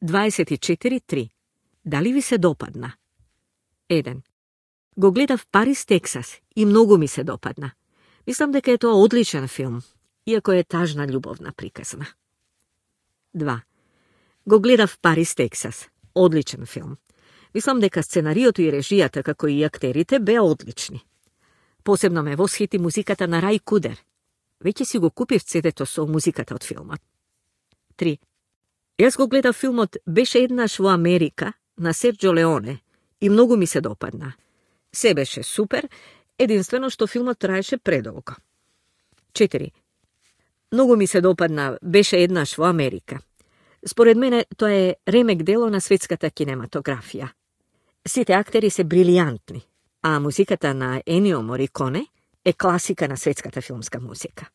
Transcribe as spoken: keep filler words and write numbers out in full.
дваесет и четири три. Дали ви се допадна? еден. Го гледав Парис, Тексас и многу ми се допадна. Мислам дека е тоа одличен филм, иако е тажна љубовна приказна. два. Го гледав Парис, Тексас. Одличен филм. Мислам дека сценариото и режијата, како и актерите, беа одлични. Посебно ме восхити музиката на Рај Кудер. Веќе си го купив цедето со музиката од филмот. три. Јас го гледав филмот Беше еднаш во Америка на Серджо Леоне и многу ми се допадна. Се беше супер, единствено што филмот траеше предолго. четири. Многу ми се допадна Беше еднаш во Америка. Според мене тоа е ремек дело на светската кинематографија. Сите актери се брилијантни, а музиката на Енио Мориконе е класика на светската филмска музика.